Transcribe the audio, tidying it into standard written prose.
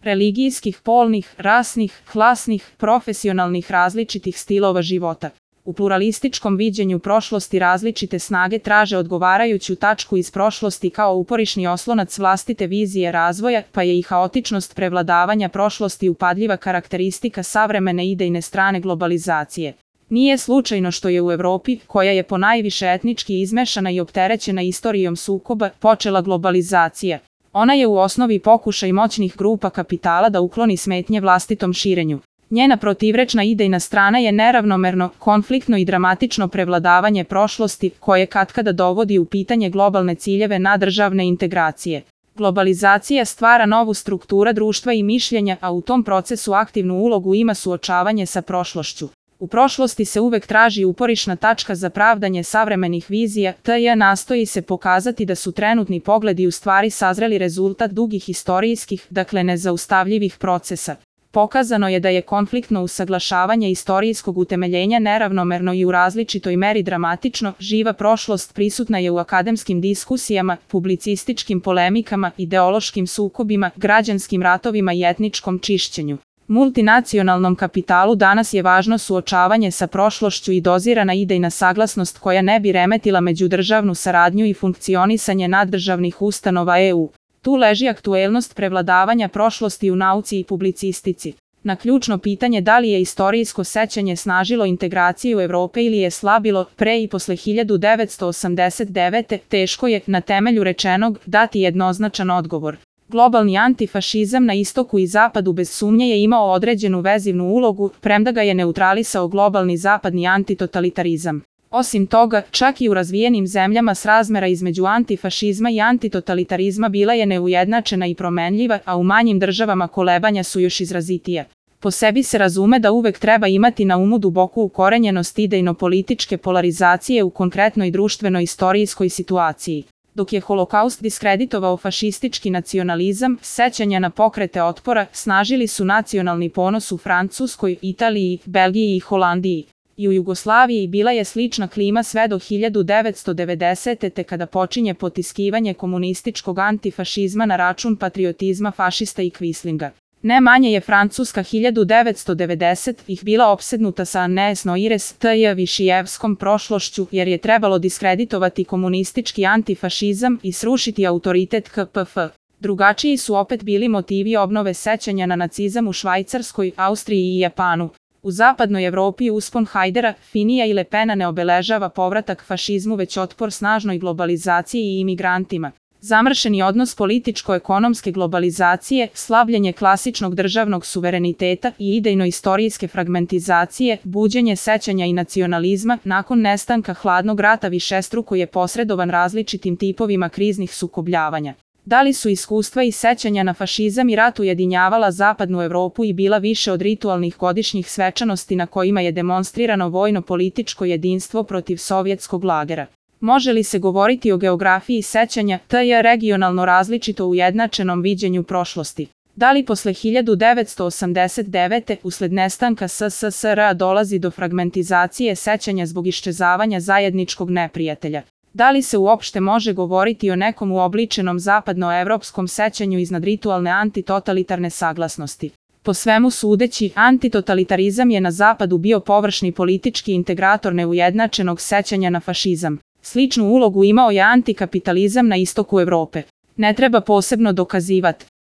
religijskih, polnih, rasnih, klasnih, profesionalnih različitih stilova života. U pluralističkom viđenju prošlosti različite snage traže odgovarajuću tačku iz prošlosti kao uporišni oslonac vlastite vizije razvoja, pa je i haotičnost prevladavanja prošlosti upadljiva karakteristika savremene idejne strane globalizacije. Nije slučajno što je u Evropi, koja je ponajviše etnički izmešana i opterećena istorijom sukoba, počela globalizacija. Ona je u osnovi pokušaj moćnih grupa kapitala da ukloni smetnje vlastitom širenju. Njena protivrečna idejna strana je neravnomerno, konfliktno i dramatično prevladavanje prošlosti, koje katkada dovodi u pitanje globalne ciljeve nadržavne integracije. Globalizacija stvara novu strukturu društva i mišljenja, a u tom procesu aktivnu ulogu ima suočavanje sa prošlošću. U prošlosti se uvek traži uporišna tačka za pravdanje savremenih vizija, te nastoji se pokazati da su trenutni pogledi u stvari sazreli rezultat dugih istorijskih, dakle nezaustavljivih procesa. Pokazano je da je konfliktno usaglašavanje istorijskog utemeljenja neravnomerno i u različitoj meri dramatično, živa prošlost prisutna je u akademskim diskusijama, publicističkim polemikama, ideološkim sukobima, građanskim ratovima i etničkom čišćenju. Multinacionalnom kapitalu danas je važno suočavanje sa prošlošću i dozirana idejna saglasnost koja ne bi remetila međudržavnu saradnju i funkcionisanje naddržavnih ustanova EU. Tu leži aktuelnost prevladavanja prošlosti u nauci i publicistici. Na ključno pitanje da li je istorijsko sećanje snažilo integraciju Evrope ili je slabilo pre i posle 1989. teško je, na temelju rečenog, dati jednoznačan odgovor. Globalni antifašizam na istoku i zapadu bez sumnje je imao određenu vezivnu ulogu, premda ga je neutralisao globalni zapadni antitotalitarizam. Osim toga, čak i u razvijenim zemljama srazmera između antifašizma i antitotalitarizma bila je neujednačena i promenljiva, a u manjim državama kolebanja su još izrazitija. Po sebi se razume da uvek treba imati na umu duboku ukorenjenost idejno-političke polarizacije u konkretnoj društveno-istorijskoj situaciji. Dok je Holokaust diskreditovao fašistički nacionalizam, sećanja na pokrete otpora snažili su nacionalni ponos u Francuskoj, Italiji, Belgiji i Holandiji. I u Jugoslaviji bila je slična klima sve do 1990. te kada počinje potiskivanje komunističkog antifašizma na račun patriotizma fašista i Quislinga. Ne manje je Francuska 1990-ih bila opsednuta sa Agnès Noires t.j. Višijevskom prošlošću jer je trebalo diskreditovati komunistički antifašizam i srušiti autoritet KPF. Drugačiji su opet bili motivi obnove sećanja na nacizam u Švajcarskoj, Austriji i Japanu. U zapadnoj Evropi uspon Hajdera, Finija i Le Pena ne obeležava povratak fašizmu već otpor snažnoj globalizaciji i imigrantima. Zamršeni odnos političko-ekonomske globalizacije, slabljenje klasičnog državnog suvereniteta i idejno-istorijske fragmentizacije, buđenje sećanja i nacionalizma, nakon nestanka hladnog rata višestruko je posredovan različitim tipovima kriznih sukobljavanja. Da li su iskustva i sećanja na fašizam i rat ujedinjavala zapadnu Evropu i bila više od ritualnih godišnjih svečanosti na kojima je demonstrirano vojno-političko jedinstvo protiv sovjetskog lagera? Može li se govoriti o geografiji sećanja, t.j. regionalno različito ujednačenom viđenju prošlosti? Da li posle 1989. usled nestanka SSSR dolazi do fragmentizacije sećanja zbog iščezavanja zajedničkog neprijatelja? Da li se uopšte može govoriti o nekom uobličenom zapadnoevropskom sećanju iznad ritualne antitotalitarne saglasnosti? Po svemu sudeći, antitotalitarizam je na zapadu bio površni politički integrator neujednačenog sećanja na fašizam. Sličnu ulogu imao je antikapitalizam na istoku Evrope. Ne treba posebno dokazivati.